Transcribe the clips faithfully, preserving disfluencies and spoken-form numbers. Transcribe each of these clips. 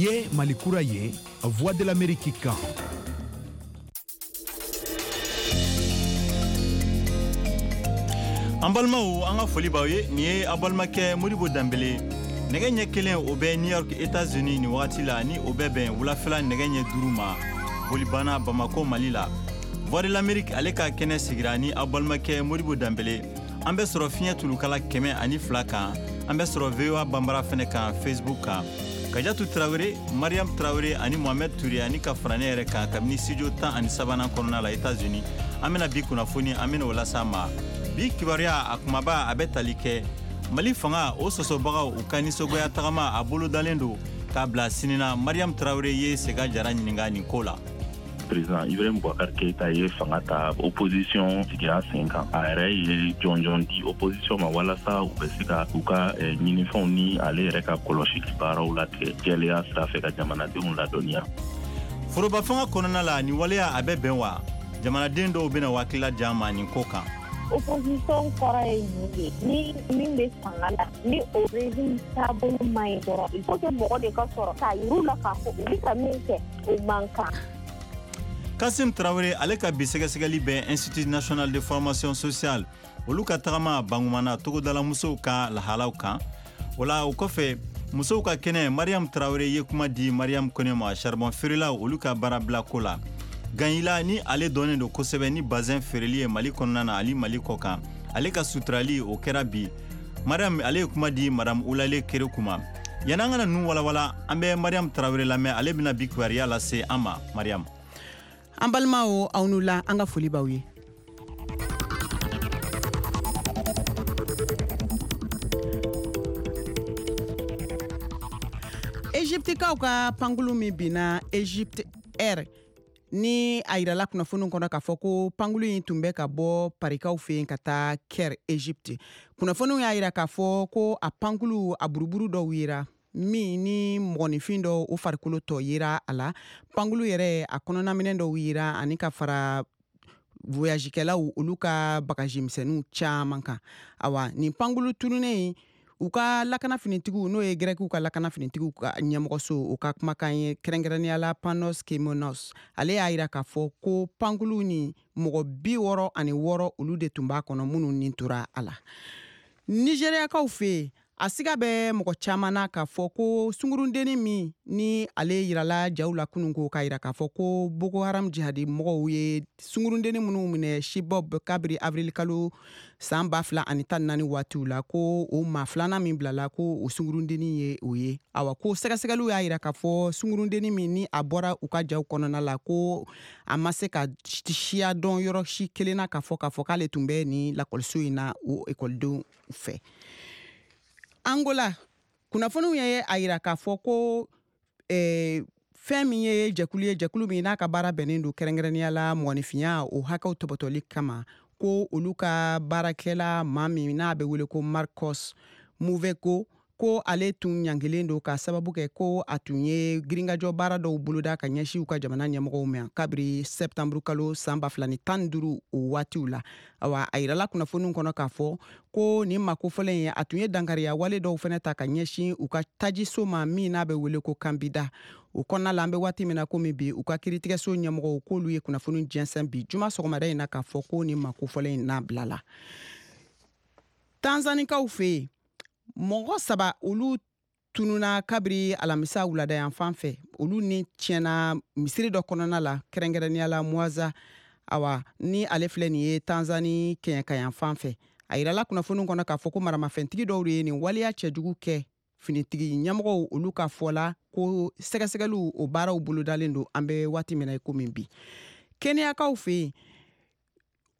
Nin ye Mali kura ye, Voix de l'Amérique kan. An balimaw, an ka foli b'aw ye. Nin ye aw balimakɛ Modibo Danbele. Nɛgɛ ɲɛ kelen o bɛ New York, États-Unis nin wagati la, ni o bɛ bɛn wulafɛla nɛgɛ ɲɛ duuru ma Bolibana, Bamako, Mali la. Voix de l'Amérique ale ka kɛnɛ sigira ni aw balimakɛ Modibo Danbele. An bɛ sɔrɔ fiɲɛ tulukala kɛmɛ ani fila kan. An bɛ sɔrɔ V O A Banbara fɛnɛ kan Facebook kan. Kajatu Tarawele, Mariam Tarawele ani Mohamed Touré ani ka fara ne yɛrɛ kan kabini studio tan ani sabanan kɔnɔna la États-Unis, an bɛna bi kunnafoni, an bɛna o las'a ma. Bi kibaruya a kumaba, a bɛ tali kɛ Mali fanga o sɔsɔbagaw u ka nisɔngoya tagama, a bolodalen don k'a bila sini na. Mariam Tarawele ye Sega Jara ɲininka nin ko la. Président Ibrahim Boubacar Keïta ye fanga ta, opposition sigira sen kan. A yɛrɛ ye jɔnjɔn di opposition ma walasa u bɛ se ka u ka ɲinifɛnw ni ale yɛrɛ ka kɔlɔsili baaraw latigɛ jɛlenya sira fɛ ka jamanadenw ladɔnniya. Foroba fanga kɔnɔna la, nin waleya a bɛ bɛn wa? Jamanaden dɔw bɛna hakilila di an ma nin ko kan. Opposition kɔrɔ ye nin de ni min bɛ fanga la, ni o régime taabolo man ɲi dɔrɔn, il faut que mɔgɔ de ka sɔrɔ k'a yir'u la k'a fɔ u bɛ ka min kɛ, o man kan. Kasim Tarawele ale ka bi sɛgɛsɛgɛli bɛ Institut national de formation sociale olu ka tagama Bangumana togodala musow ka lahalaw kan. O la, o kɔfɛ, musow ka kɛnɛ, Mariam Tarawele ye kuma di Mariam Kone ma charbon feerelaw olu ka baarabila ko la. Ganyila ni ale dɔnnen don kosɛbɛ ni bazin feereli ye Mali kɔnɔna na ani Mali kɔ kan, ale ka suturali o kɛra bi. Mariam ale ye kuma di Madame Ulale Kereku ma. Yan'an ka na ninnu walawala, an bɛ Mariam Tarawele lamɛn. Ale bɛna bi kibaruya lase an ma. Mariam. An balimaw, aw n'u la, an ka foli b'aw ye. Egyptikaw ka pankulu min binna, Egypt Air, ni a yirala kunnafoniw kɔnɔ k'a fɔ ko pankulu in tun bɛ ka bɔ Parikaw fɛ yen ka taa Caire, Egypte, kunnafoniw y'a yira k'a fɔ ko a pankulu a buruburu dɔw yera min ni mɔgɔninfin dɔw o farikolo tɔ yera a la. Pankulu yɛrɛ a kɔnɔnaminɛ dɔw yera ani ka fara voyagekɛlaw olu ka bagaji misɛnninw caman kan. Awa, nin pankulu tununnen, u ka lakana finitigiw, n'o ye Gɛrɛkiw ka lakana finitigiw ka ɲɛmɔgɔso, o ka kumakan ye, kɛrɛnkɛrɛnnenya la Panos Kemonos, ale y'a yira k'a fɔ ko pankulu ni mɔgɔ bi wɔɔrɔ ani wɔɔrɔ olu de tun b'a kɔnɔ minnu nin tora a la. Nigériyakaw fɛ yen, a siga bɛ mɔgɔ caman na k'a fɔ ko sungurundennin min ni ale yirala jaw la kunun ko k'a yira k'a fɔ ko Boko Haram jihadi mɔgɔw ye sungurundennin minnu minɛ Chibok kabiri avril kalo san ba fila ani tan naani waatiw la, ko o maa filanan min bilala, ko o sungurundennin ye o ye. Awa, ko sɛgɛsɛgɛliw y'a yira k'a fɔ sungurundennin min ni a bɔra u ka jaw kɔnɔna la, ko a ma se ka siya dɔn yɔrɔ si kelen na k'a fɔ k'a fɔ k'ale tun bɛ nin lakɔliso in na o ekɔlidenw fɛ. Angola, kunnafoniw ye a yira k'a fɔ ko eh, fɛn min ye jɛkulu ye, jɛkulu min n'a ka baara bɛnnen don kɛrɛnkɛrɛnnenya la mɔgɔninfinya o hakɛw tɔbɔtɔli kama, ko olu ka baarakɛla maa min n'a bɛ wele ko Marcos Muvego, ko ale tun ɲangilen don ka sababu kɛ ko a tun ye girinkajɔ baara dɔw boloda ka ɲɛsin u ka jamana ɲɛmɔgɔw ma kabiri sɛptanburu kalo san ba fila ni tan ni duuru o waatiw la. Awa, a yirala kunnafoniw kɔnɔ k'a fɔ ko nin maa kofɔlen ye, a tun ye dankariya wale dɔw fɛnɛ ta ka ɲɛsin u ka tajiso ma min n'a bɛ wele ko Kanbida. O kɔnɔna la, an bɛ waati min na komi bi, u ka kiiritigɛso ɲɛmɔgɔw k'olu ye kunnafoni jɛnsɛn bi juma sɔgɔmada in na k'a fɔ ko nin maa kofɔlen in n'a bilala. Tanzanikaw fɛ yen, mɔgɔ saba olu tununa kabiri alamisa wulada yan fan fɛ. Olu ni tiɲɛna misiri dɔ kɔnɔna la, kɛrɛnkɛrɛnnenya la Mwanza. Awa, ni ale filɛ nin ye Tanzani kɛɲɛka fan fɛ. A yirala kunnafoniw kɔnɔ k'a fɔ ko maramafɛntigi dɔw de ye nin waleya cɛjugu kɛ. Finitigi ɲɛmɔgɔw olu ka fɔ la ko sɛgɛsɛgɛliw o baaraw bolodalen don an bɛ waati min na i komi bi. Kɛnɛyakaw fɛ yen,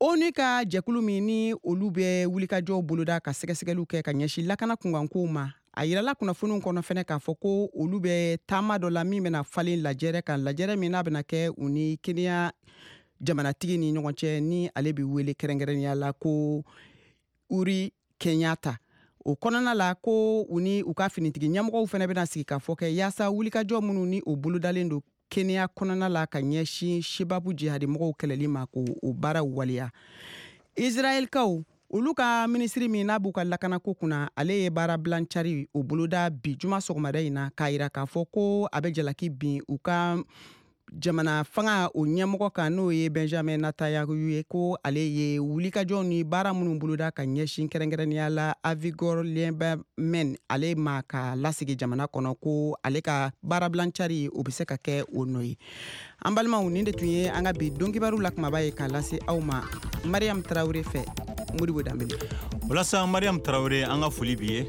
ONU ka jɛkulu min ni olu bɛ wulikajɔw boloda ka sɛgɛsɛgɛliw kɛ ka ɲɛsin lakana kunkankow ma, a yirala kunnafoniw kɔnɔ fɛnɛ k'a fɔ ko olu bɛ taama dɔ la min bɛna falen lajɛrɛ kan, lajɛrɛ min n'a bɛna kɛ u ni Kenya jamanatigi ni ɲɔgɔn cɛ, ni ale bɛ wele kɛrɛnkɛrɛnnenya la ko Uhuru Kenyatta. O kɔnɔna la, ko u ni u ka finitigi ɲɛmɔgɔw fɛnɛ bɛna sigi ka fɔ kɛ yaasa wulikajɔ minnu ni o bolodalen don Kenya kɔnɔna la ka ɲɛsin Sebabu jihadimɔgɔw kɛlɛli ma, ko o baaraw waleya. Israɛlkaw Olu ka minisiri min n'a b'u ka lakanako kunna, ale ye baarabilan cari o boloda bi juma sɔgɔmada in na, k'a yira k'a fɔ ko a bɛ jalaki bin u ka jamana fanga o ɲɛmɔgɔ kan, n'o ye Benjamin Netanyahu ye, ko ale ye wulikajɔw ni baara minnu boloda ka ɲɛsin kɛrɛnkɛrɛnnenya la Avigdor Lieberman ale ma ka lasigi jamana kɔnɔ, ko ale ka baarabilan cari o bɛ se ka kɛ o nɔ ye. An balimaw, nin de tun ye an ka bi donkibaru la kumaba ye k'a lase aw ma Mariam Tarawele fɛ. Modibo Danbele. Walasa Mariam Tarawele, an ka foli b'i ye.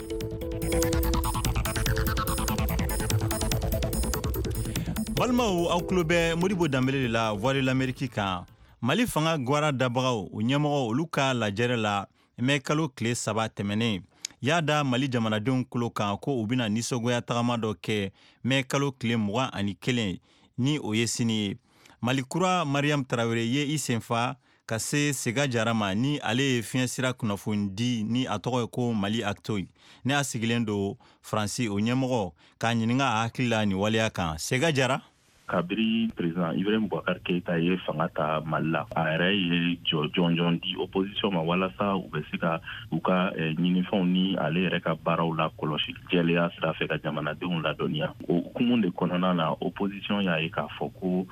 Balimaw, aw tulo bɛ Modibo Danbele de la Voix de l'Amérique kan. Mali fanga gwara dabagaw o ɲɛmɔgɔ, olu ka lajɛrɛ la mɛ kalo tile saba tɛmɛnen, y'a da Mali jamanadenw tulo kan ko u bɛna nisɔngoya tagama dɔ kɛ mɛ kalo tile mugan ani kelen, ni o ye sini ye. Mali kura Mariam Tarawele ye i senfa ka se Sega Jara ma, ni ale ye fiɲɛsira kunnafoni di ni a tɔgɔ ye ko Mali Actu, ne a sigilen don Faransi, o ɲɛmɔgɔ, k'a ɲininka a hakili la nin waleya kan. Sega Jara. Kabiri président Ibrahim Boubacar Keïta ye fanga ta Mali la, a yɛrɛ ye jɔ jɔnjɔn di opposition ma walasa u bɛ se ka u ka ɲinifɛnw ni ale yɛrɛ ka baaraw la kɔlɔsi jɛlenya sira fɛ ka jamanadenw ladɔnniya. O hukumu de kɔnɔna na, opposition y'a ye k'a fɔ ko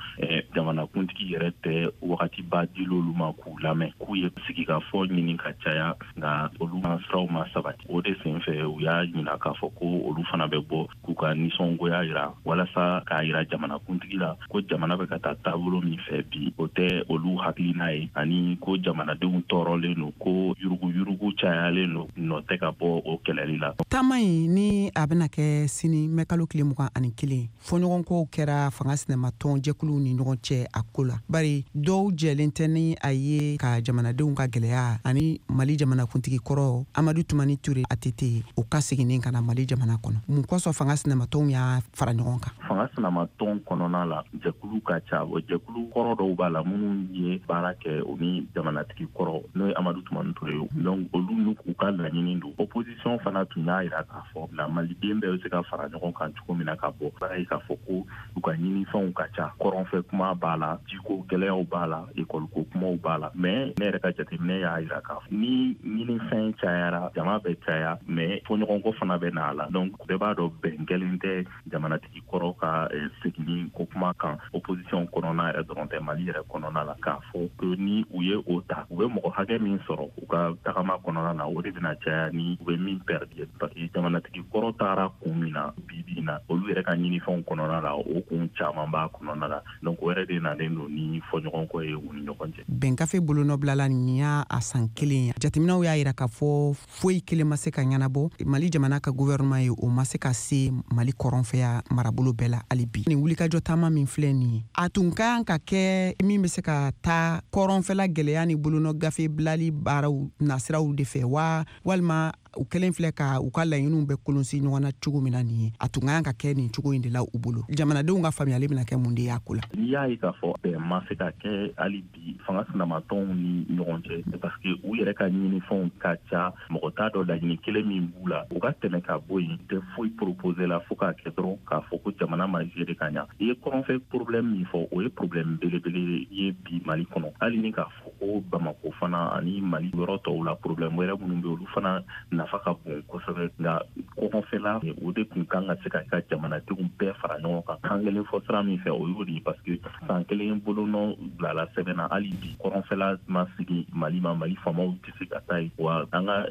jamanakuntigi yɛrɛ tɛ wagatiba dil'olu ma k'u lamɛn, k'u ye sigikafɔ ɲini ka caya, nka olu ma siraw ma sabati. O de senfɛ u y'a ɲina k'a fɔ ko olu fana bɛ bɔ k'u ka nisɔngoya yira walasa k'a yira jamanakuntigi la ko jamana bɛ ka taa taabolo min fɛ bi, o tɛ olu hakilina ye, ani ko jamanadenw tɔɔrɔlen don, ko yuruguyurugu cayalen don, nɔ tɛ ka bɔ o kɛlɛli la. Taama in ni a bɛna kɛ sini mɛ kalo tile mugan ani kelen, fɔɲɔgɔnkɔw kɛra fanga sinamatɔn jɛkuluw ni ɲɔgɔn cɛ a ko la, bari dɔw jɛlen tɛ ni a ye ka jamanadenw ka gɛlɛya ani Mali jamanakuntigi kɔrɔ Amadu Tumani Ture A T T o ka seginni ka na Mali jamana kɔnɔ. Mun kosɔn fanga sinamatɔnw y'a fara ɲɔgɔn kan? Fanga sinamatɔn kɔnɔna la, jɛkulu ka ca. O jɛkulu kɔrɔ dɔw b'a la minnu ye baara kɛ o ni jamanatigi kɔrɔ, n'o ye Amadu Tumani Ture ye. Donc olu n'u ka laɲini don. Opposition fana tun y'a yira k'a fɔ la maliden bɛɛ bɛ se ka fara ɲɔgɔn kan cogo min na ka bɔ. B'a ye k'a fɔ ko u ka ɲinifɛnw ka ca, kɔrɔnfɛ kuma b'a la, jiko gɛlɛyaw b'a la, ekɔliko kumaw b'a la. Mais ne yɛrɛ ka jateminɛ y'a yira k'a fɔ ni ɲinifɛn cayara, jama bɛ caya, mais fɔɲɔgɔnkɔ fana bɛ na a la. Donc bɛɛ b'a dɔn bɛn kɛlen tɛ jamanatigi kɔrɔ ka seginni ko kuma kan opposition kɔnɔna yɛrɛ dɔrɔn tɛ, Mali yɛrɛ kɔnɔna la, k'a fɔ ko ni u ye o ta, u bɛ mɔgɔ hakɛ min sɔrɔ u ka tagama kɔnɔna na, o de bɛna caya ni u bɛ min perdre. Parce que jamanatigi kɔrɔ taara kun min na bi bi in na, olu yɛrɛ ka ɲinifɛnw kɔnɔna la, o kun caman b'a kɔnɔna la. Donc o yɛrɛ de nalen don ni fɔɲɔgɔnkɔ ye u ni ɲɔgɔn cɛ. Bɛnkafe bolonɔbilala nin y'a a san kelen ye. Jateminɛw y'a yira k'a fɔ foyi kelen ma se ka ɲɛnabɔ. Mali jamana ka gouvernement ye o ma se ka se Mali kɔrɔnfɛya marabolo bɛɛ la hali bi. Nin wulikajɔ taama min filɛ nin ye, a tun ka kan ka kɛ min bɛ se ka taa kɔrɔnfɛla gɛlɛya ni bolonɔ gafe bilali baaraw nasiraw de fɛ wa, walima u kɛlen filɛ ka u ka laɲiniw bɛ kolonsi ɲɔgɔn na cogo min na nin ye, a tun ka kan ka kɛ nin cogo in de la u bolo. Jamanadenw ka faamuyali bɛna kɛ mun de y'a ko la? N'i y'a ye k'a fɔ bɛn ma se ka kɛ hali bi fanga sinamatɔnw ni ɲɔgɔn cɛ, parce que u yɛrɛ ka ɲinifɛnw ka ca, mɔgɔ t'a dɔn laɲini kelen min b'u la, u ka tɛmɛ ka bɔ yen tɛ foyi proposer la fo k'a kɛ dɔrɔn k'a fɔ ko jamana ma gérer ka ɲa. I ye kɔrɔnfɛ problème min fɔ, o ye problème belebele ye bi Mali kɔnɔ. Hali ni k'a fɔ ko Bamako fana ani Mali yɔrɔ tɔw la, problème wɛrɛ minnu bɛ olu fana nafa ka bon kosɛbɛ, nka kɔngɔfɛla o de tun kan ka se ka ka jamanadenw bɛɛ fara ɲɔgɔn kan kan kelen fɔ sira min fɛ, o y'o de ye. Parce que san kelen bolonɔ bilala sɛbɛn na, hali bi kɔrɔnfɛla ma sigi Mali ma, Mali faamaw tɛ se ka taa yen. Wa an ka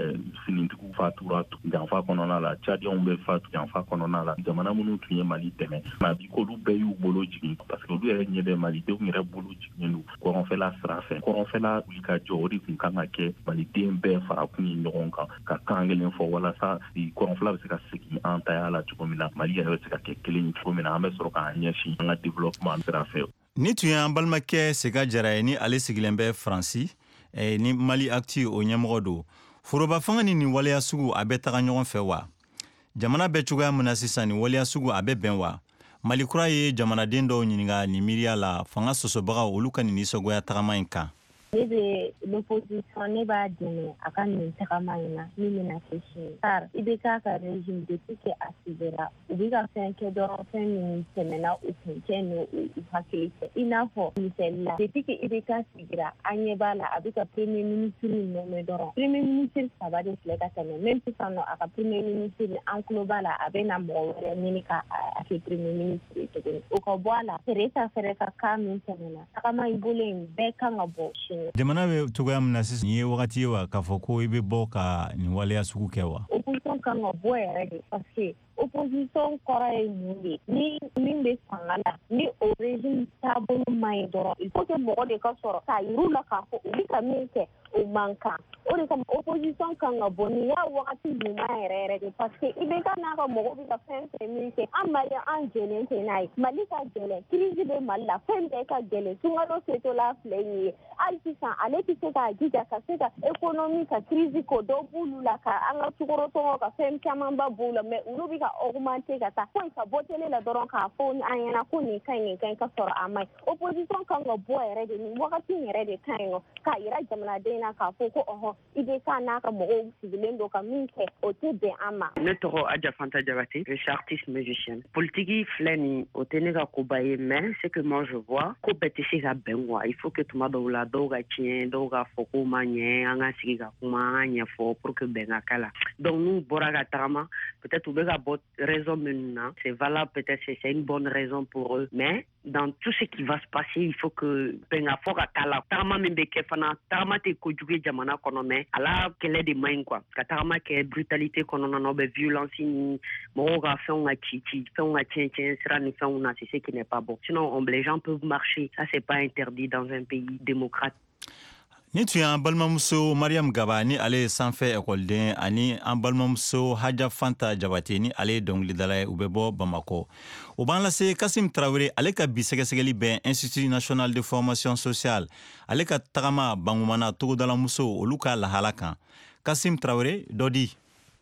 finitigiw fatura janfa kɔnɔna la, Tchadiens bɛ fatu janfa kɔnɔna la, jamana minnu tun ye Mali dɛmɛ, nka bi k'olu bɛɛ y'u bolo jigin, parce que olu yɛrɛ ɲɛ bɛ malidenw yɛrɛ bolo jiginnen don kɔrɔnfɛla sira fɛ. Kɔrɔnfɛla wuli ka jɔ, o de tun kan ka kɛ maliden bɛɛ fara kun ye ɲɔgɔn kan ka kan kelen fɔ walasa kɔrɔnfɛla bɛ se ka segin an taya la cogo min na, Mali yɛrɛ bɛ se ka kɛ kelen cogo min na, an bɛ sɔrɔ k'an ɲɛsin an ka développement sira fɛ. Ni tun y'an balimakɛ Sega Jara ye, ni ale sigilen bɛ Faransi, ni Mali Actu o ɲɛmɔgɔ don. Foroba fanga ni nin waleya sugu a bɛ taga ɲɔgɔn fɛ wa? Jamana bɛ cogoya min na sisan, nin waleya sugu a bɛ bɛn wa? Mali kura ye jamanaden dɔw ɲininka nin miiriya la fanga sɔsɔbagaw olu ka nin nisɔngoya tagama in kan. Ne bɛ l'opposition, ne b'a dɛmɛ a ka nin tagama in na min bɛna kɛ sini, car I B K ka régime, depuis que a sigira, u bɛ ka fɛn kɛ dɔrɔn, fɛn min tɛmɛna u kuncɛ ni u hakili cɛ. I n'a fɔ misali la, depuis que I B K sigira, an ɲɛ b'a la, a bɛ ka premier ministre nommé dɔrɔn. Premier ministre saba de filɛ ka tɛmɛ. Même sisan nɔ, a ka premier ministre, an tulo b'a la, a bɛ na mɔgɔ wɛrɛ ɲini ka a kɛ premier ministre ye tuguni. O ka bɔ a la, Teresa fɛnɛ ka cas min tɛmɛna, tagama i bolo in bɛɛ kan ka bɔ sini. Jamana bɛ cogoya min na sisan, nin ye wagati ye wa k'a fɔ ko i bɛ bɔ ka nin waleya sugu kɛ wa? Opposition kan ka bɔ yɛrɛ de, parce que opposition kɔrɔ ye mun de? Ni min bɛ fanga la, ni o régime taabolo man ɲi dɔrɔn, il faut que mɔgɔ de ka sɔrɔ k'a yir'u la k'a fɔ u bɛ ka min kɛ, o man kan. O de kama opposition kan ka bɔ. Nin y'a wagati ɲuman yɛrɛ yɛrɛ de, parce que I B K n'a ka mɔgɔw bɛ ka fɛn fɛn min kɛ, an Malien, an jɛlen tɛ n'a ye. Mali ka gɛlɛn, crise bɛ Mali la, fɛn bɛɛ ka gɛlɛn. Sunkalo setɔla filɛ nin ye, hali sisan ale tɛ se k'a jija ka se ka économie ka crise ko dɔ b'olu la, ka an ka sukaro sɔngɔ ka fɛn camanba b'u la, mais olu bɛ ka augmenter ka taa. Foyi ka bɔ télé la dɔrɔn k'a fɔ an ɲɛna ko nin ka ɲi, nin ka ɲi, ka sɔrɔ a ma ɲi. Opposition kan ka bɔ yɛrɛ de. Nin wagati in yɛrɛ de ka ɲi nɔ k'a yira jamanaden na k'a fɔ ko ɔhɔn, I B K n'a ka mɔgɔw sigilen don ka min kɛ, o tɛ bɛn an ma. Ne tɔgɔ Adja Fanta Diabaté, je suis artiste musicienne. Politique filɛ nin, o tɛ ne ka koba ye, mais ce que moi je vois, ko bɛɛ tɛ se ka bɛn quoi. Il faut que tuma dɔw la, dɔw ka tiɲɛ, dɔw ka fɔ ko ma ɲɛ, an ka sigi ka kuma, an ka ɲɛfɔ pour que bɛn ka k'a la. Donc n'u bɔra ka tagama, peut-être u bɛ ka bɔ raison minnu na, c'est valable, peut-être c'est une bonne raison pour eux, mais dans tout ce qui va se passer, il faut que bɛn ka fɔ ka k'a la. Tagama min bɛ kɛ fana, tagama tɛ kojugu ye jamana kɔnɔ, mais a la kɛlɛ de man ɲi quoi. Ka tagama kɛ brutalité kɔnɔna na, ou bien violence ni mɔgɔw ka fɛnw ka ci ci, fɛnw ka tiɲɛ tiɲɛ sira ni fɛnw na, c'est ce qui n'est pas bon. Sinon on, les gens peuvent marcher, ça c'est pas interdit dans un pays démocrate. Ni tun y'an balimamuso Mariam Gaba, ni ale ye sanfɛ ekɔliden, ani an balimamuso Haja Fanta Jabate, ni ale ye dɔnkilidala ye, u bɛ bɔ Bamakɔ. O b'an lase Kasim Tarawele, ale ka bi sɛgɛsɛgɛli bɛn Institut national de formation sociale, ale ka tagama Bangumana togodalamuso olu ka lahala kan. Kasim Tarawele, dɔ di.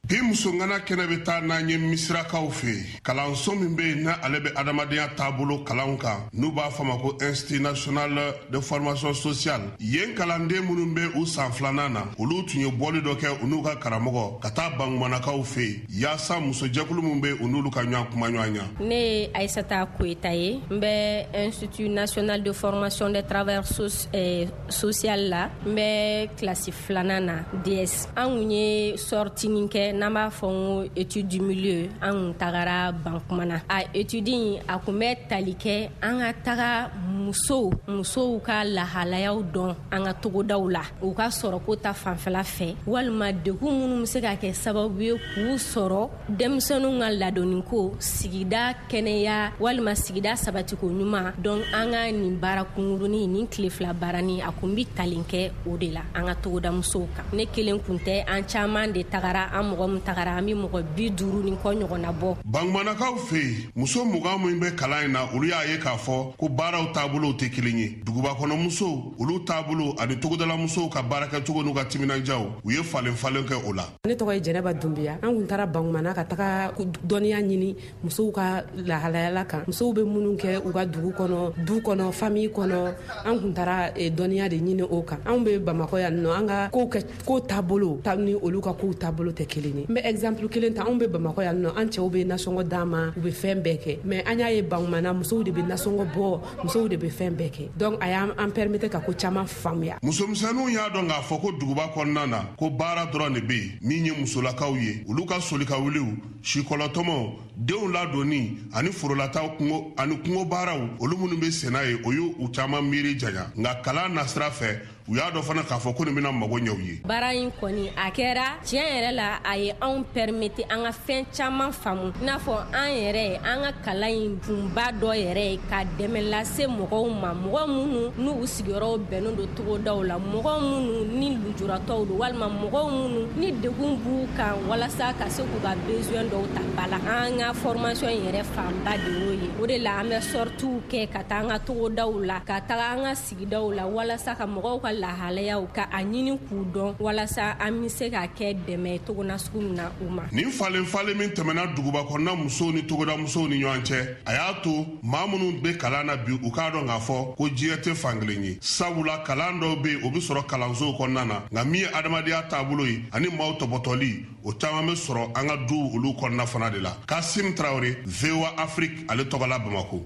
Bi musongana kɛnɛ bɛ taa n'an ye Misirakaw fɛ yen, kalanso min bɛ yen n'a ale bɛ adamadenya taabolo kalanw kan, n'u b'a fɔ ma ko Institut national de formation sociale. Yen kalanden minnu bɛ u san filanan na, olu tun ye bɔli dɔ kɛ u n'u ka karamɔgɔ ka taa Bangumanakaw fɛ yen, yaasa musojɛkulu min bɛ u n'olu ka ɲɔgɔn kuma ɲɔgɔn ɲa. Ne ye Aïssata Koyita ye, n bɛ Institut national de formation des travailleurs so eh, social la, n bɛ kilasi filanan na, D S. An kun ye sortie nin kɛ n'an b'a fɔ n ko étude du milieu. An kun tagara Bankumana. A étude in, a kun bɛ tali kɛ an ka taga musow musow ka lahalayaw dɔn an ka togodaw la, u ka sɔrɔko ta fanfɛla fɛ, walima degun minnu bɛ se ka kɛ sababu ye k'u sɔrɔ, denmisɛnninw ka ladonniko, sigida kɛnɛya, walima sigida sabatiko ɲuman. Donc an ka nin baara kunkurunin nin, tile fila baarani, a kun bi tali kɛ o de la an ka togoda musow kan. Ne kelen kun tɛ, an caman de tagara. An mɔgɔ min tagara, an bi mɔgɔ bi duuru ni kɔ ɲɔgɔnna bɔ. Bangumanakaw fɛ yen, muso mugan min bɛ kalan in na, olu y'a ye k'a fɔ ko baaraw taabolow tɛ kelen ye. Duguba kɔnɔ musow olu taabolo ani togodala musow ka baarakɛcogo n'u ka timinandiyaw, u ye falen falen kɛ o la. Ne tɔgɔ ye Jɛnɛba Dunbiya. An kun taara Bangumana ka taga dɔnniya ɲini musow ka lahalayala kan, musow bɛ minnu kɛ u ka dugu kɔnɔ, du kɔnɔ, famille kɔnɔ. An kun taara dɔnniya de ɲini o kan. Anw bɛ Bamakɔ yan nɔ, an ka kow kɛ ko taabolo ta ni olu ka kow taabolo tɛ kelen ye. N bɛ exemple kelen ta: anw bɛ Bamakɔ yan nɔ, an cɛw bɛ nasɔngɔ d'an ma, u bɛ fɛn bɛɛ kɛ, mais an y'a ye Bangumana, musow de bɛ nasɔngɔ bɔ, musow de bɛ fɛn bɛɛ kɛ. Donc a y'an permettre ka ko caman faamuya. Musomisɛnninw y'a dɔn k'a fɔ ko duguba kɔnɔna na, ko baara dɔrɔn de bɛ yen min ye musolakaw ye: olu ka soli ka wuliw, sikɔlɔtɔmɔw, denw ladonni ani forolataw, kungo ani kungo baaraw, olu minnu bɛ senna ye, o y'u u caman miiri janya. Nka kalan nasira fɛ, u y'a dɔn fana k'a fɔ ko nin bɛna mago ɲɛ u ye. Baara in kɔni, a kɛra tiɲɛ yɛrɛ la, a ye anw permettre an ka fɛn caman faamu, i n'a fɔ an yɛrɛ, an ka kalan in kunba dɔ yɛrɛ ye ka dɛmɛ lase mɔgɔw ma, mɔgɔ minnu n'u sigiyɔrɔw bɛnnen don togodaw la, mɔgɔ minnu ni lujuratɔw don, walima mɔgɔw minnu ni degun b'u kan, walasa ka se k'u ka besoin dɔw ta ba la. An ka formation yɛrɛ fanba de y'o ye. O de la an bɛ sorties kɛ ka taa an ka togodaw la, ka taga an ka sigidaw la, walasa ka mɔgɔw ka lahalayaw ka a ɲini k'u dɔn walasa an bɛ se ka kɛ dɛmɛ togo nasugu min na u ma. Nin falen falen min tɛmɛna duguba kɔnɔna musow ni togoda musow ni ɲɔgɔn cɛ, a y'a to maa minnu bɛ kalan na bi, u k'a dɔn k'a fɔ ko diɲɛ tɛ fankelen ye, sabula kalan dɔw bɛ yen, o bɛ sɔrɔ kalansow kɔnɔna na, nka min ye adamadenya taabolo ye ani maaw tɔbɔtɔli, o caman bɛ sɔrɔ an ka du olu kɔnɔna fana de la. Kasim Traoré, V O A Afrique, ale tɔgɔ la Bamako.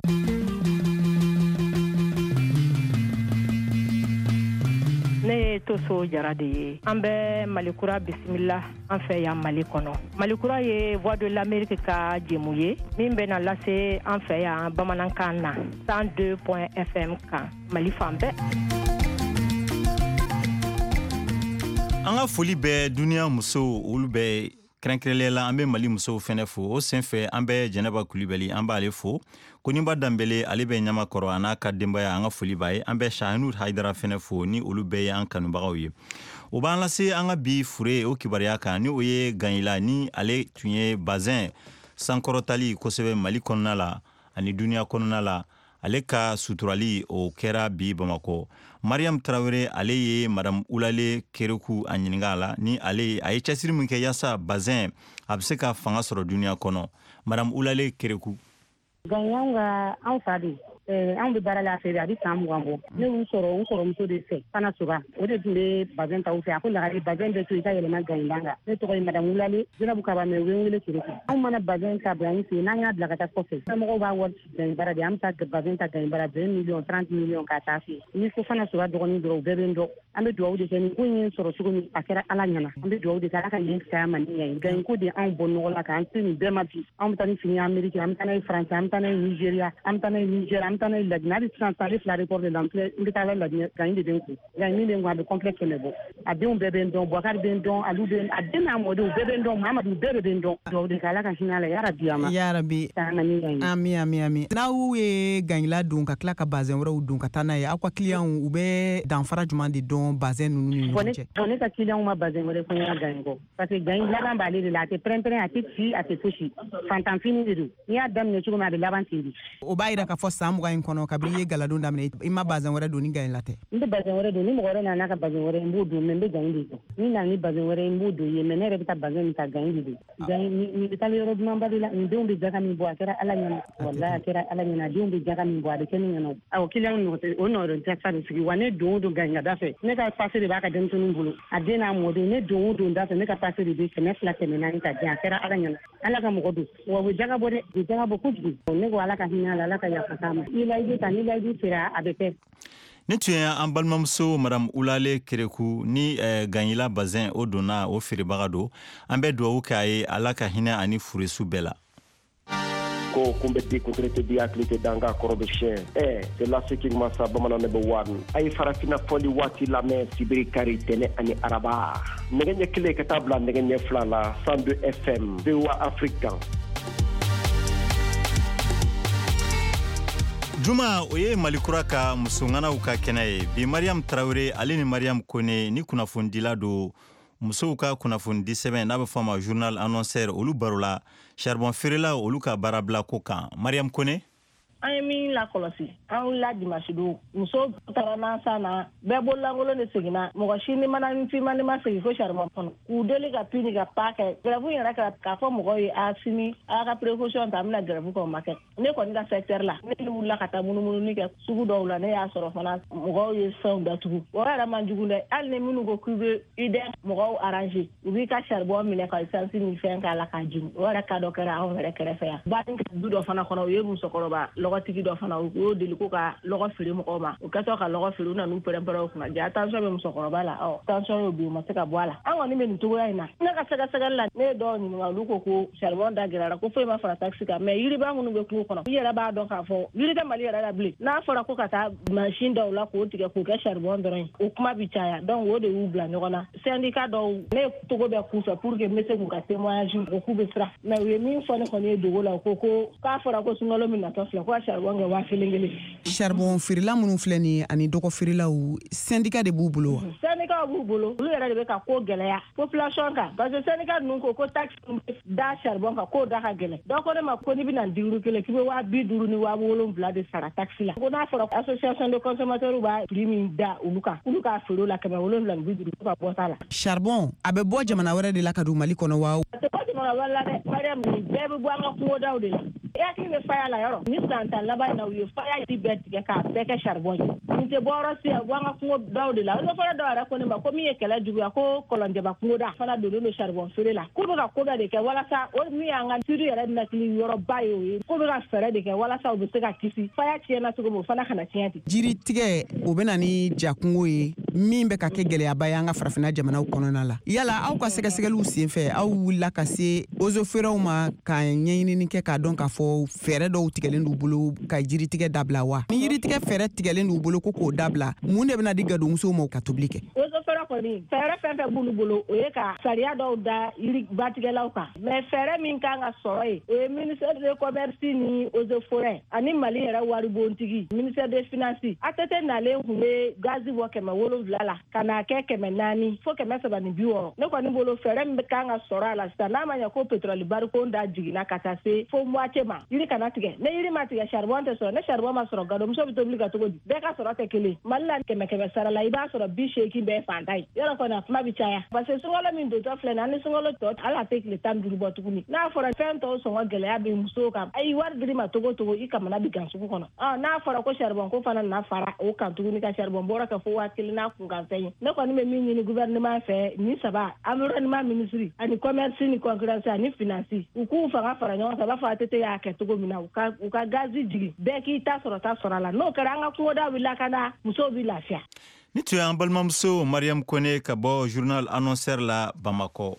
Ne ye Toso Jara de ye. An bɛ Malikura bisimila an fɛ yan Mali kɔnɔ. Malikura ye Voix de l'Amérique ka jɛmu ye min bɛna lase an fɛ yan bamanankan na cent deux point F M kan Mali fan bɛɛ. An ka foli bɛ duniya musow olu bɛɛ, kɛrɛnkɛrɛnnenya la an bɛ Mali musow fɛnɛ fo. O senfɛ an bɛ Jɛnɛba Kulibali, an b'ale fo. Koninba Danbele, ale bɛ Ɲamakɔrɔ, a n'a ka denbaya, an ka foli b'a ye. An bɛ Shahinur Haidara fɛnɛ fo, ni olu bɛɛ ye an kanubagaw ye. O b'an lase an ka bi fure o kibaruya kan, ni o ye Ganyila, ni ale tun ye bazɛn sankɔrɔtali kosɛbɛ Mali kɔnɔna la ani duniya kɔnɔna la. Ale ka suturali o kɛra bi Bamakɔ. Mariam Traoré, ale ye Madame Ulale Kereku a ɲininka a la, ni ale a ye cɛsiri min kɛ yaasa bazɛn a bɛ se ka fanga sɔrɔ duniya kɔnɔ. Madame Ulale Kereku. Ganyanw ka anw fa de, anw bɛ baara la a fɛ, a bɛ san mugan bɔ. Ne y'u sɔrɔ n kɔrɔmuso de fɛ, Fana Soba, o de tun bɛ bazɛn ta u fɛ. A ko lagare bazɛn bɛ to i ka yɛlɛma Ganyilan kan. Ne tɔgɔ ye Madame Ulale Zenabu Kaba, mais u bɛ n wele Kereku. Anw mana bazɛn ta bila an fɛ yen, n'an y'a bila ka taa kɔfɛ, somɔgɔw b'a wari ci Ganyibara de, an bɛ taa bazɛn ta Ganyibara vingt millions trente millions k'a taa fɛ yen. Ni ko Fana Soba dɔgɔnin dɔrɔn, u bɛɛ bɛ n dɔn. An bɛ dugawu de kɛ, nin ko in ye sɔrɔ cogo min, a kɛra Ala ɲɛna. An bɛ dugawu de kɛ Ala ka nin fisaya ma ni ɲɛ ye. Ganyiko de anw bɔ nɔgɔ la k'an se nin bɛɛ ma bi. Anw bɛ taa ni fini ye Amérique, an bɛ taa n'a ye France, an bɛ taa n'a ye Nigeria, an bɛ taa n'a ye Niger, an bɛ taa n'a ye Laginɛ. Hali sisan ale fila aéroport de la, n filɛ, n bɛ taa la Laginɛ, Ganyi de bɛ n kun. Ganyi min bɛ n kun, a bɛ complet kɛmɛ bɔ. A denw bɛɛ bɛ n dɔn, Boubacar bɛ n dɔn, Alu bɛ n, a den n'a mɔdenw bɛɛ bɛ n dɔn, Mamadu bɛɛ de bɛ n dɔn. Dugawu de kɛ Ala ka hinɛ a la, yarabi a ma. Yarabi. Ami ami ami. N'aw ye Ganyila don ka tila ka bazɛn wɛrɛw don ka taa n'a ye, aw ka clients u bɛ danfara jumɛn de dɔn bazɛn ninnu ni ɲɔgɔn cɛ? Bon, ne ka clients ma bazɛn wɛrɛ fɔ n ɲɛna Ganyi kɔ, parce que Ganyi laban b'ale de la, a tɛ pɛrɛn-pɛrɛn, a tɛ ci, a tɛ fosi. Fantanfini de don, n'i y'a daminɛ cogo min a bɛ laban ten de. O b'a yira k'a fɔ san mugan in kɔnɔ, kabini i ye galadon daminɛ, i ma bazɛn wɛrɛ don ni Ganyila tɛ? N bɛ bazɛn wɛrɛ don, ni mɔgɔ wɛrɛ nana n'a ka bazɛn wɛrɛ, n b'o don, mais n bɛ Ganyi de don. Ni nana ni bazɛn wɛrɛ ye, n b'o don ye, mais ne yɛrɛ bɛ taa bazɛn min ta, Ganyi de don. Ganyi nin bɛ taa yɔrɔ dumanba de la, nin denw bɛ jaga min bɔ, a kɛra Ala ɲɛna, walahi a kɛra Ala ɲɛna, a denw bɛ jaga min bɔ, a bɛ kɛ ne ɲɛna. Awɔ, client nɔ tɛ, o nɔ tɛ sa de sigi wa. Ne don o don Ganyi ka da fɛ, ne ka passe de b'a ka denmisɛnninw bolo, a den n'a mɔden, ne don o don da fɛ, ne ka passe de bɛ kɛmɛ fila kɛmɛ naani ta diyan, a kɛra Ala ɲɛna. Ala ka mɔgɔ don, wa u bɛ jaga bɔ dɛ, u bɛ jaga bɔ kojugu. Ne ko Ala ka hinɛ a la, Ala ka yafa k'a ma. Ni layidu ta, ni layidu sera, a bɛ kɛ. Ne tun ye an balimamuso Madame Ulale Kereku ni eh, Ganyila bazɛn o donna o feerebaga don. An bɛ dugawu kɛ a ye, Ala ka hinɛ ani furesu bɛɛ la. Ko kunbɛ di kuntire tɛ di hakili tɛ danga kɔrɔ bɛ siɲɛ. Ɛ c'est laseki masa bamanan ne bɛ wari a ye farafinna fɔli waati lamɛn sibiri, kari, tɛnɛ ani araba, nɛgɛ ɲɛ kelen ka taa bila nɛgɛ ɲɛ fila la, cent deux F M, V O A Afrique kan. Juma, o ye Malikura ka musoŋanaw ka kɛnɛ ye bi. Mariam Traoré, ale ni Mariam Kone, ni kunnafonidila don, musow ka kunnafonidi sɛbɛn n'a bɛ fɔ a ma Journal Annonceur, olu barola charbon feerelaw olu ka baarabila ko kan. Mariam Kone. An ye min lakɔlɔsi, an wulila dimanche don, muso taara nan san na, bɛɛ bololankolon de seginna, mɔgɔ si ni mana finman ma segin fo charbon kɔnɔ k'u deli ka pini ka pa kɛ grève yɛrɛ kɛra k'a fɔ mɔgɔw ye a sini a ka précaution ta, an bɛna grève kɛ, o ma kɛ. Ne kɔni ka secteur la, ne wulila ka taa munumununi kɛ sugu dɔw la, ne y'a sɔrɔ fana mɔgɔw ye fɛnw datugu. O yɛrɛ man jugu dɛ, hali ni minnu ko k'u bɛ I D mɔgɔw arranger, u b'i ka charbon minɛ ka essence ni fɛn k'a la k'a jigin. O yɛrɛ ka dɔ kɛra anw yɛrɛ kɛrɛfɛ yan Bani du dɔ fana kɔnɔ, u ye musokɔrɔba lɔgɔtigi dɔ fana, u y'o deli ko ka lɔgɔ feere mɔgɔw ma. O kɛtɔ ka lɔgɔ feere, u nan'u pɛrɛn-pɛrɛn o kunna, ja tension bɛ musokɔrɔba la, ɔ tension y'o bin, u ma se ka bɔ a la. An kɔni bɛ nin cogoya in na. Ne ka sɛgɛsɛgɛli la, ne ye dɔw ɲininka, olu ko ko charbon da gɛlɛyara, ko foyi ma fara taxe kan, mais yiriba minnu bɛ kungo kɔnɔ, i yɛrɛ b'a dɔn k'a fɔ yiri tɛ Mali yɛrɛ la bilen. N'a fɔra ko ka taa mansin dɔw la k'o tigɛ k'o kɛ charbon dɔrɔn ye, o kuma bi caya, donc o de y'u bila ɲɔgɔn na. Syndicat dɔw, ne ye togo bɛɛ k'u fɛ pour que n bɛ se k'u ka témoignage, ko k'u bɛ siran, mais u ye min fɔ ne kɔni ye dogo la, u ko ko k'a fɔra ko sunkalo min natɔ filɛ, ko ka charbon kɛ waa kelen kelen. Charbon feerela minnu filɛ nin ye ani dɔgɔ feerelaw, syndicat de b'u bolo wa? Syndicat b'u bolo, olu yɛrɛ de bɛ ka ko gɛlɛya population kan, parce que syndicat ninnu ko ko taxe da charbon kan k'o da ka gɛlɛn. Dɔw ko ne ma ko n'i bɛna diuru kelen k'i bɛ waa bi duuru ni waa wolonwula de sara taxe la. Ko n'a fɔra association de consommateurs b'a prix min da olu kan, olu k'a feere o la kɛmɛ wolonwula ni bi duuru ka bɔ t'a la. Charbon a bɛ bɔ jamana wɛrɛ de la ka don Mali kɔnɔ wa? A tɛ bɔ jamana wɛrɛ la dɛ, Mariam, nin bɛɛ bɛ bɔ an ka kungodaw de la. I hakili bɛ faya la yɔrɔ ni san tan laban in na, u ye faya ji bɛɛ tigɛ k'a bɛɛ kɛ charbon ye. Nin tɛ bɔ yɔrɔ si, a bɔ an ka kungodaw de la. O fɔlɔ dɔw yɛrɛ ko ne ma ko min ye kɛlɛ juguya ko kɔlɔnjɛba kungoda fana donnen don charbon feere la. K'u bɛ ka ko bɛɛ de kɛ walasa o min y'an ka turu yɛrɛ nakili yɔrɔba ye, o ye k'u bɛ ka fɛɛrɛ de kɛ walasa u bɛ se ka kisi faya tiɲɛna cogo min, o fana kana tiɲɛ ten. Jiri tigɛ o bɛ na ni jakungo ye min bɛ ka kɛ gɛlɛyaba ye an ka farafinna jamanaw kɔnɔna la. Yala aw ka sɛgɛsɛgɛliw senfɛ, aw wulila ka se ozofeerɛw ma ka ɲɛɲinini kɛ k'a dɔn k'a fɔ fɛɛrɛ dɔw tigɛlen d'u bolo ka jiritigɛ dabila wa? Ni jiritigɛ fɛɛrɛ tigɛlen d'u bolo ko k'o dabila, mun de bɛna di gadonmusow ma ka tobili kɛ? Ozofeerɛ kɔni fɛɛrɛ fɛn fɛn b'olu bolo, o ye ka sariya dɔw da yiri batigɛlaw kan, mais fɛɛrɛ min kan ka sɔrɔ yen, o ye ministère de commerce ni eaux et forêts ani Mali yɛrɛ waribontigi ministère des finances. A T T nalen tun bɛ gazi bɔ kɛmɛ wolonwula la ka n'a kɛ kɛmɛ naani fo kɛmɛ saba ni bi wɔɔrɔ. Ne kɔni bolo fɛɛrɛ min kan ka sɔrɔ a la sisan, n'a ma ɲɛ ko pétrole barikon da jiginna ka taa se fo moitié ma, yiri kana tigɛ. Ne yiri ma tigɛ, charbon tɛ sɔrɔ. Ne charbon ma sɔrɔ, gadonmuso bɛ tobili ka cogo di? Bɛɛ ka sɔrɔ tɛ kelen. Mali la kɛmɛ kɛmɛ sara la, i b'a sɔrɔ bi seegin bɛɛ fantan ye. Yɔrɔ kɔni a kuma bɛ caya, parce que sunkalo min dontɔ filɛ nin ye, an ni sunkalo tɔ hali a tɛ tile tan ni duuru bɔ tuguni. N'a fɔra fɛn tɔw sɔngɔ gɛlɛya bɛ musow kan, ayi wari dir'i ma togo togo, i kamana bɛ gan sugu kɔnɔ. Ɔ n'a fɔra ko charbon ko fana nana fara o kan tuguni ka charbon bɔrɔ kɛ fo waa kelen n'a kunkanfɛn ye. Ne kɔni bɛ min ɲini gouvernement fɛ, nin saba, environnement ministre ani commerce ni concurrence ani finance, u k'u fanga fara ɲɔgɔn kan, u b'a fɔ A T T y'a kɛ cogo min na, u ka u ka gazi jigin, bɛɛ k'i ta sɔrɔ ta sɔrɔ a la. N'o kɛra, an ka kungodaw bɛ lakana, musow bɛ lafiya. Ni tun y'an balimamuso Mariam Kone ka bɔ journal annonceur la Bamakɔ.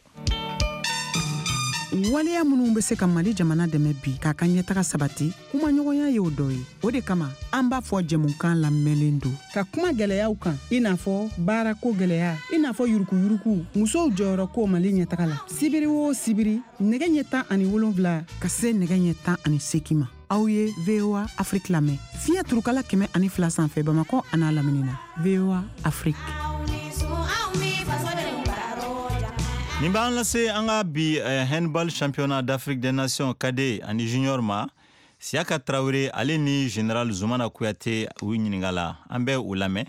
Waleya minnu bɛ se ka Mali jamana dɛmɛ bi k'a ka ɲɛtaga sabati, kumaɲɔgɔnya y'o dɔ ye. O de kama an b'a fɔ jɛmukan lamɛnlen don ka kuma gɛlɛyaw kan, i n'a fɔ baarako gɛlɛya, i n'a fɔ yurukuyuruku, musow jɔyɔrɔ ko Mali ɲɛtaga la. Sibiri o sibiri, nɛgɛ ɲɛ tan ani wolonwula ka se nɛgɛ ɲɛ tan ani seegin ma, aw ye V O A Afrique lamɛn fiɲɛ turukala kɛmɛ ani fila sanfɛ Bamakɔ an'a lamini na. V O A Afrique. Nin b'an lase an ka bi eh, handball championnat d'Afrique des Nations cadet ani junior ma. Siaka Traoré ale ni général Zoumana Kouyaté u ɲininka la, an bɛ u lamɛn.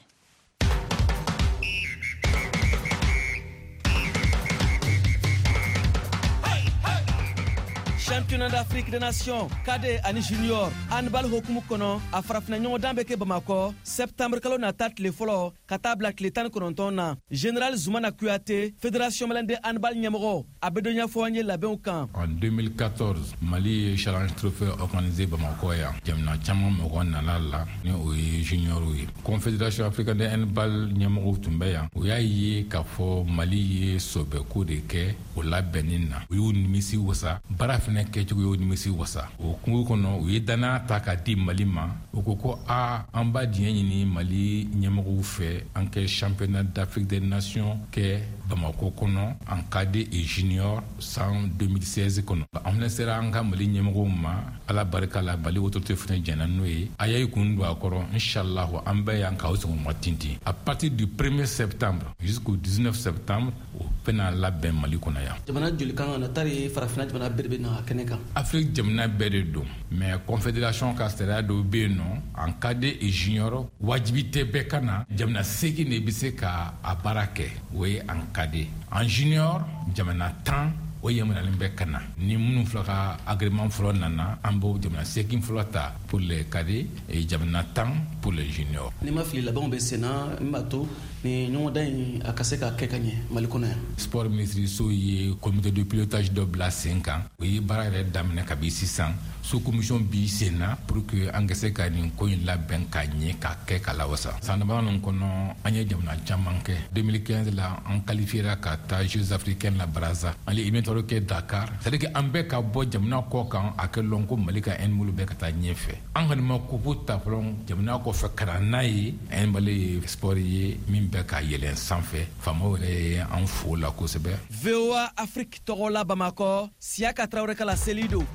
Championnat d'Afrique des Nations cadet ani junior handball hokumu kɔnɔ, a farafinna ɲɔgɔndan bɛ kɛ Bamakɔ septembre kalo nata tile fɔlɔ ka taa bila tile tan ni kɔnɔntɔn na. Général Zoumana Kouyaté, fédération malienne de handball ɲɛmɔgɔ, a bɛ dɔ ɲɛfɔ an ye labɛnw kan. En deux mille quatorze, Mali ye challenge trophée organisé Bamakɔ yan. Jamana caman mɔgɔ nana la ni o ye junior ye. Confédération africaine de handball ɲɛmɔgɔw tun bɛ yan. U y'a ye k'a fɔ Mali ye sɔbɛko de kɛ o labɛnni na. U y'u nimisi wasa, baara fɛnɛ kɛcogo y'o nimisi wasa. O kungo kɔnɔ, u ye danaya ta k'a di Mali ma. U ko ko a an b'a diɲɛ ɲini Mali ɲɛmɔgɔw fɛ an kɛ championnat d'Afrique des Nations kɛ Bamakɔ kɔnɔ en cadet et junior san deux mille seize kɔnɔ. An fɛnɛ sera an ka Mali ɲɛmɔgɔw ma, Ala barika la, Mali autorité fɛnɛ jɛnna n'o ye. A y'a kun don a kɔrɔ, inchallah an bɛ yan k'aw sɔgɔma tintin. À partir du premier septembre jusqu'au dix-neuf septembre, o bɛna labɛn Mali kɔnɔ yan. Jamana joli kan ka na tari farafinna jamana bɛɛ de bɛ na kɛnɛ kan? Afrique jamana bɛɛ de don, mais confédération ka sariya dɔw bɛ yen nɔ, en cadet et junior wajibi tɛ bɛɛ ka na. Jamana seegin de bɛ se ka a baara kɛ, o ye en cadet. En junior, jamana tan o yamaruyalen bɛ ka na. Ni minnu fila ka agrément fɔlɔ nana, an b'o jamana seegin fɔlɔ ta pour les cadets et jamana tan pour les juniors. N'i ma fili, labɛnw bɛ sen na min b'a to ni ɲɔgɔndan in a ka se ka kɛ ka ɲɛ Mali kɔnɔ yan. Sport ministre so ye comité de pilotage dɔ bila sen kan, o ye baara yɛrɛ daminɛ kabi sisan. Sous commission bi sen na pour que an ka se ka nin ko in labɛn ka ɲɛ ka kɛ ka lawasa. San damadɔ ninnu kɔnɔ, an ye jamana caman kɛ. deux mille quinze la, an qualifiera ka taa Jeux africains la Brazza. An ye éliminatoire kɛ Dakar. C'est à dire que an bɛɛ ka bɔ jamana kɔ kan, a kɛ lɔn ko Mali ka handball bɛɛ ka taa ɲɛfɛ. An kɔni ma coupe ta fɔlɔ jamana kɔfɛ ka na n'a ye. Handball ye sport ye min bɛ ka yɛlɛn sanfɛ. Faamaw yɛrɛ ye an fo la kosɛbɛ. V O A Afrique tɔgɔ la Bamakɔ, Siaka Traoré ka laseli don.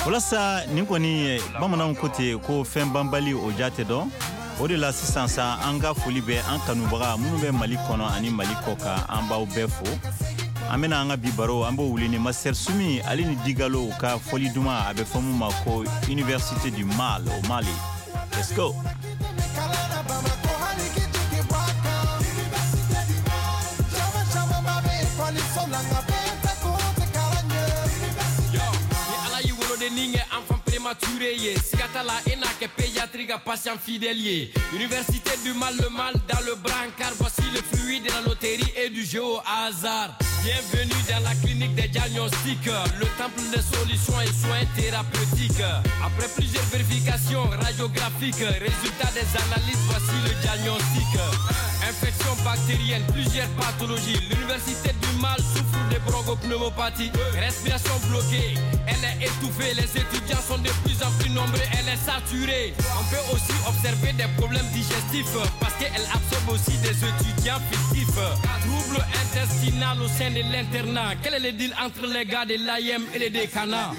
Walasa nin kɔni bamananw ko ten ko fɛn banbali o ja tɛ dɔn. O de la sisan sa an ka foli bɛ an kanubaga minnu bɛ Mali kɔnɔ ani Mali kɔ kan, an b'aw bɛɛ fo. An bɛna an ka bi baro, an b'o wuli ni Master Sumi ale ni Digalo ka fɔli duman, a bɛ fɔ mun ma ko Université du Mal au Mali. Let's go. Prématuré, Sigatala et n'a que pédiatrie patient fidèle. Université du mal, le mal dans le brancard. Voici le fruit de la loterie et du jeu au hasard. Bienvenue dans la clinique des diagnostics, le temple des solutions et soins thérapeutiques. Après plusieurs vérifications radiographiques, résultat des analyses, voici le diagnostic. Infection bactérienne, plusieurs pathologies. L'université du mal souffre de bronchopneumopathie. Respiration bloquée, elle est étouffée. Les étudiants sont de plus en plus nombreux, elle est saturée. On peut aussi observer des problèmes digestifs parce qu'elle absorbe aussi des étudiants fictifs. Trouble intestinal au sein de l'internat. Quel est le deal entre les gars de l'A I M et les décanats?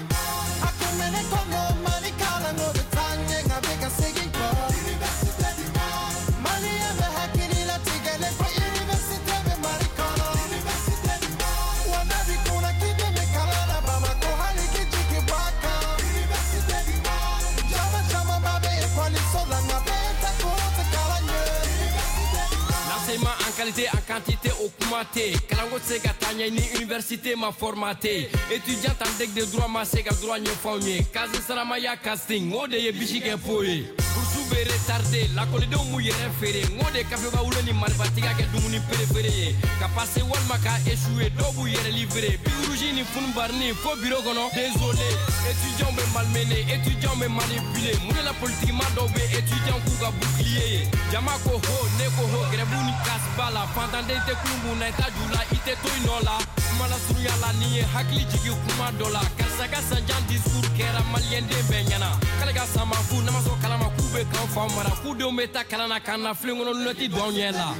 En qualité, en quantité, augmenté. Kalango tɛ se ka taa ɲɛ ni université ma formaté. Étudiant en deck de droit ma se ka droit ɲɛfɔ anw ye. Kazi saramaya casting, o de ye bisi kɛ po ye. Bourse bɛ retardé, lakɔlidenw m'u yɛrɛ feere. N k'o de kafeba wolo ni marifatigiya kɛ dumuni préféré ye. Ka passer walima ka échouer, dɔw b'u yɛrɛ livré. Birouge ni funubarni fo bureau kɔnɔ. Désolé, étudiants bɛ malmené, étudiants bɛ manipulé. Mun de la politique ma dɔw bɛ étudiants k'u ka bouclier ye. Jama ko ho, ne ko ho, grève ni casse ba la. Fantanden tɛ kulun kun na, i t'a ju la, i tɛ to i nɔ la. Kuma lasurunya la, n'i ye hakili jigin kuma dɔ la. Karisa ka sanjan discours kɛra maliyɛnden bɛɛ ɲɛna. K'ale ka san ma fu, n'a ma sɔn kalan ma, k'u bɛ k'anw faw mara. K'u denw bɛ taa kalan na, k'an na filen kɔnɔ lunɛti don anw ɲɛ la.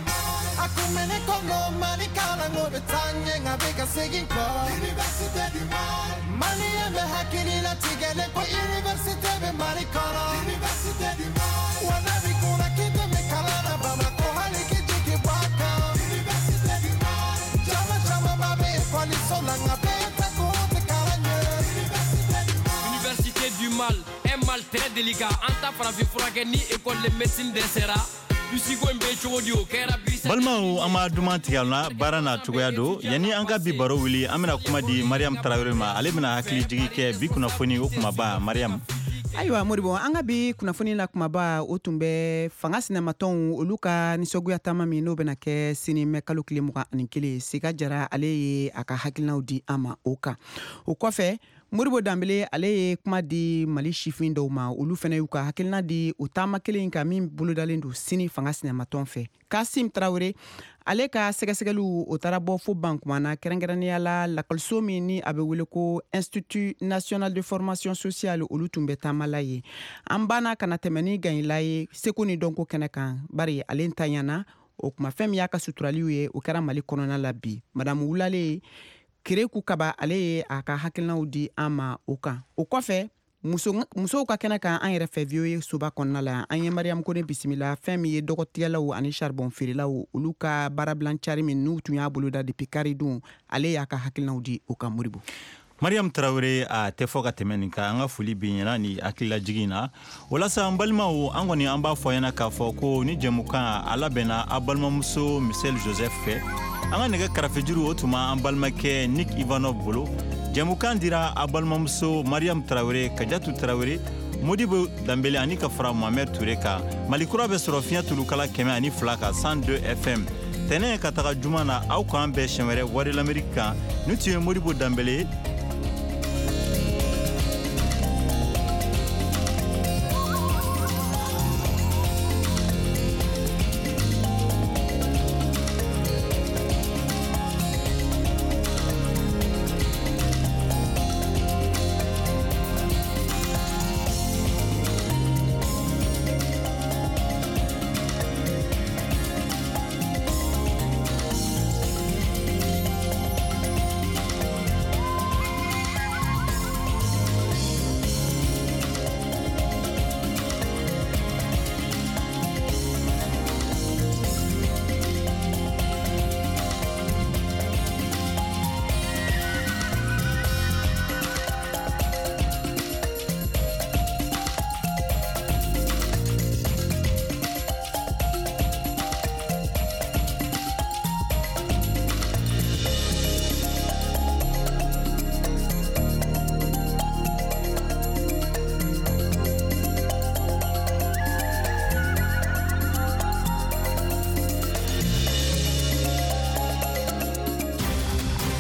A kun bɛ ne kɔnɔ, Mali kalanko bɛ taa ɲɛ, nka bɛ ka segin kɔ. Université du Mali. Maliyɛn bɛ hakili latigɛlen ko université bɛ Mali kɔnɔ. Université du Mali. Wa n'a b'i kunna k'i tɛ kalan na Bamakɔ, hali k'i jigi bɔ a kan. Université du Mali. Jama camanba bɛ ekɔliso la, nka bɛɛ tɛ ko tɛ kalan ɲɛ. Université du Mali. Université du Mal, un mal très délicat. An ta farafin furakɛ ni école de médecine dɛsɛra. Balimaw, an b'a duman tigɛ la, baara n'a cogoya don. Yanni an ka bi baro wuli, an bɛna kuma di Mariam Tarawele ma. Ale bɛna hakili jigi kɛ bi kunnafoni o kumaba. Mariam. Ayiwa Moribo, an ka bi kunnafoni la kumaba o tun bɛ fanga sinamatɔnw olu ka nisɔngoya taama min n'o bɛna kɛ sini mɛ kalo tile mugan ani kelen. Sika Jara ale ye a ka hakilinaw di an ma o kan. O kɔfɛ, Moribo Danbele ale ye kuma di Mali sifin dɔw ma, olu fana y'u ka hakilina di o taama kelen kan min bolodalen don sini fanga sinamatɔn fɛ. Kasim Tarawele ale ka sɛgɛsɛgɛliw o taara bɔ fo Bankumana, kɛrɛnkɛrɛnnenya la lakɔliso min ni a bɛ wele ko Institut national de formation sociale, olu tun bɛ taama la ye. An banna ka na tɛmɛ ni Ganyila ye seko ni dɔnko kɛnɛ kan, bari ale ntanyana o kuma fɛn min y'a ka suturaliw ye, o kɛra Mali kɔnɔna la bi. Madamu Wulale Kereku Kaba ale ye a ka hakilinaw di an ma o kan. O kɔfɛ, muso musow ka kɛnɛ kan an yɛrɛ fɛ V O A soba kɔnɔna la, an ye Mariam Kone bisimila fɛn min ye dɔgɔtigɛlaw ani charbon feerelaw olu ka baarabilan cari min n'u tun y'a boloda depuis kari don, ale y'a ka hakilinaw di o kan. Moribo. Mariam Tarawele, a tɛ fɔ ka tɛmɛ nin kan. An ka foli b'i ɲɛna ni hakililajigin na. Walasa an balimaw, an kɔni an b'a fɔ ɲɛna k'a fɔ ko ni jɛmukan a labɛnna a balimamuso Michel Joseph fɛ. An ka nɛgɛ karafejuru o tuma an balimakɛ Nick Ivanov bolo. Jɛmukan dira a balimamuso Mariam Tarawele, Kajatu Tarawele, Modibo Danbele ani ka fara Mohamed Touré kan. Mali kura bɛ sɔrɔ fiɲɛ tulukala kɛmɛ ani fila kan cent deux F M. Tɛnɛ ka taga juma na, aw k'an bɛn siɲɛ wɛrɛ Voix de l'Amérique kan. Ni tun ye Modibo Danbele